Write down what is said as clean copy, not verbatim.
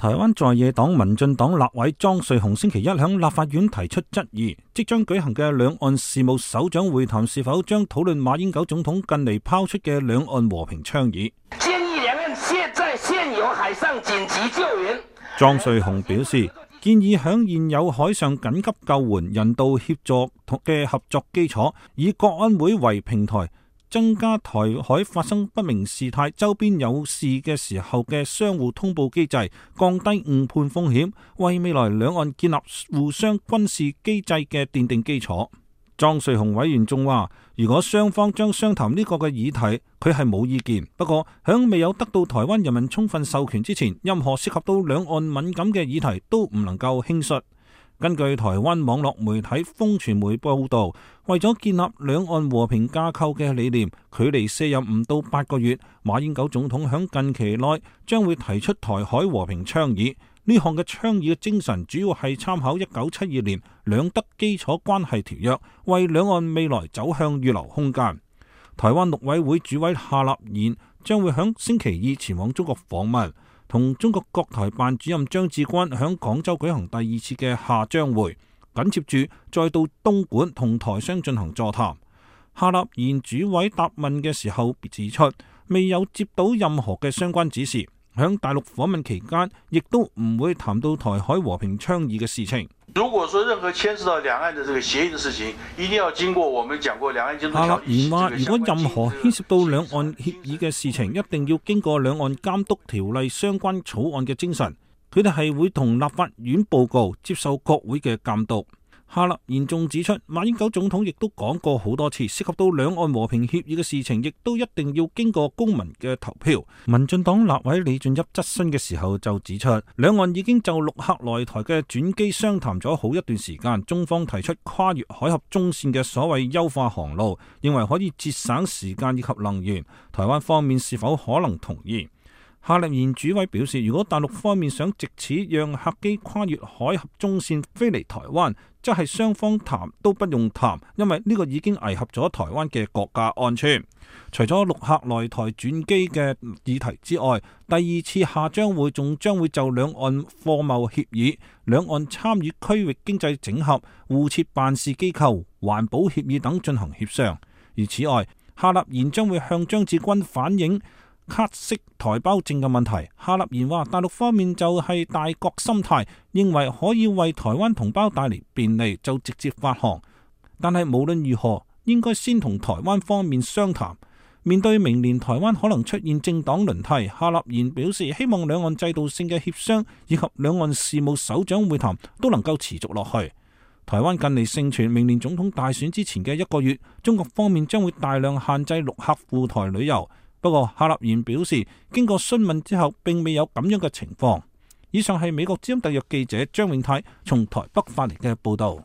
台灣在野黨民進黨立委莊瑞雄星期一向立法院提出質疑，即將舉行嘅兩岸事務首長會談是否將討論馬英九總統近嚟拋出嘅兩岸和平倡議。建議兩岸在現有海上緊急救援。莊瑞雄表示，建議響現有海上緊急救援、人道協助嘅合作基礎，以國安會為平台，增加台海發生不明事態、周邊有事嘅時候嘅相互通報機制，降低誤判風險，為未來兩岸建立互相軍事機制嘅奠定基礎。莊瑞雄委員仲話，如果雙方將商談呢個嘅議題，佢係冇意見。不過響未有得到台灣人民充分授權之前，任何涉及到兩岸敏感嘅議題都唔能夠輕率。根據台灣網絡媒體風傳媒報道，為咗建立兩岸和平架構嘅理念，距離卸任唔到8個月，馬英九總統響近期內將會提出台海和平倡議。呢項嘅倡議嘅精神主要係參考1972年兩德基礎關係條約，為兩岸未來走向預留空間。台灣陸委會主委夏立言將會響星期二前往中國訪問，同中國國台辦主任張志軍響廣州舉行第2次嘅夏張會，緊接住再到東莞同台商進行座談。夏立言主委答問嘅時候指出，未有接到任何嘅相關指示，響大陸訪問期間亦都唔會談到台海和平倡議嘅事情。如果說任何牽涉到兩岸的這個協議的事情，一定要經過我們講過兩岸監督條例。夏立言話，如果任何牽涉到兩岸協議嘅事情，一定要經過兩岸監督條例相關草案嘅精神，佢哋係會同立法院報告，接受國會嘅監督。夏立言仲指出，馬英九總統亦都講過好多次，涉及到兩岸和平協議嘅事情，亦都一定要經過公民嘅投票。民進黨立委李俊俋質詢嘅時候就指出，兩岸已經就陸客來台嘅轉機商談咗好一段時間，中方提出跨越海峽中線嘅所謂優化航路，認為可以節省時間以及能源，台灣方面是否可能同意？夏立言主委表示，如果大陸方面想藉此讓客機跨越海峽中線飛嚟台灣，即係雙方談都不用談，因為呢個已經危及咗台灣嘅國家安全。除咗陸客來台轉機嘅議題之外，第2次夏張會仲將會就兩岸貨貿協議、兩岸參與區域經濟整合、互設辦事機構、環保協議等進行協商。而此外，夏立言將會向張志軍反映卡式台胞證嘅問題。夏立言話，大陸方面就係大國心態，認為可以為台灣同胞帶嚟便利，就直接發行。但係無論如何，應該先同台灣方面商談。面對明年台灣可能出現政黨輪替，夏立言表示希望兩岸制度性嘅協商以及兩岸事務首長會談都能夠持續落去。台灣近嚟盛傳明年總統大選之前嘅1個月，中國方面將會大量限制陸客赴台旅遊。不過夏立言表示，經過詢問之後，並未有咁樣嘅情況。以上係美國之音特約記者張永泰從台北發嚟嘅報道。